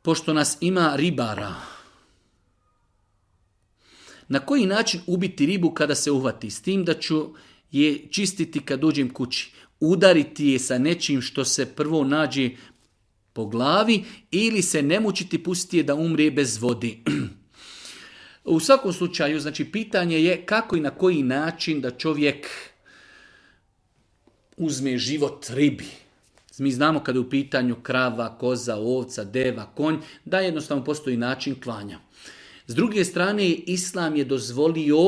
pošto nas ima ribara, na koji način ubiti ribu kada se uhvati? S tim da ću je čistiti kad dođem kući. Udariti je sa nečim što se prvo nađe po glavi ili se ne mučiti, pustiti je da umre bez vode. U svakom slučaju, znači pitanje je kako i na koji način da čovjek uzme život ribi. Mi znamo kada je u pitanju krava, koza, ovca, deva, konj, da jednostavno postoji način klanja. S druge strane, Islam je dozvolio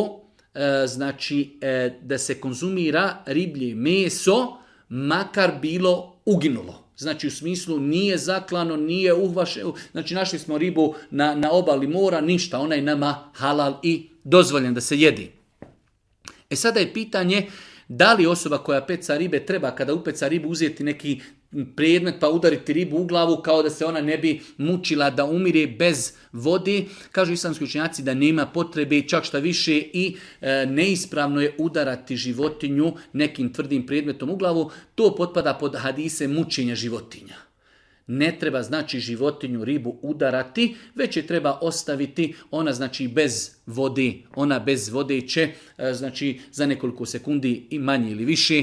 da se konzumira riblje meso, makar bilo uginulo. Znači u smislu nije zaklano, nije uhvašeno, znači našli smo ribu na obali mora, ništa, ona je nama halal i dozvoljen da se jedi. Sada je pitanje da li osoba koja peca ribe treba kada upeca ribu uzeti neki predmet pa udariti ribu u glavu kao da se ona ne bi mučila da umire bez vode. Kažu islamski učenjaci da nema potrebe, čak šta više i neispravno je udarati životinju nekim tvrdim predmetom u glavu. To potpada pod hadise mučenja životinja. Ne treba znači životinju, ribu udarati, već je treba ostaviti, ona znači bez vode. Ona bez vode će znači za nekoliko sekundi i manje ili više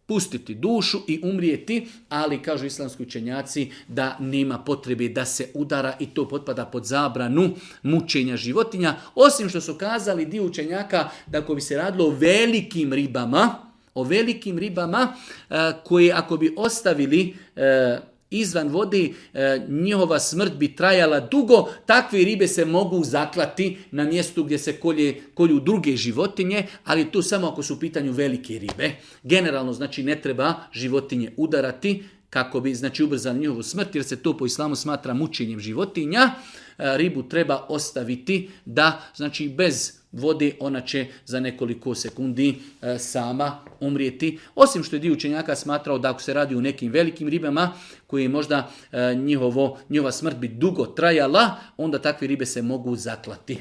pustiti dušu i umrijeti, ali kažu islamski učenjaci da nema potrebe da se udara i to potpada pod zabranu mučenja životinja. Osim što su kazali dio učenjaka da ako bi se radilo o velikim ribama koje ako bi ostavili izvan vode, njihova smrt bi trajala dugo, takve ribe se mogu zaklati na mjestu gdje se kolju druge životinje, ali tu samo ako su u pitanju velike ribe. Generalno znači ne treba životinje udarati kako bi znači ubrzali njihovu smrt, jer se to po islamu smatra mučenjem životinja. Ribu treba ostaviti da znači bez vode ona će za nekoliko sekundi sama umrijeti. Osim što je dio učenjaka smatrao da ako se radi o nekim velikim ribama koje možda njihova smrt bi dugo trajala, onda takve ribe se mogu zaklati.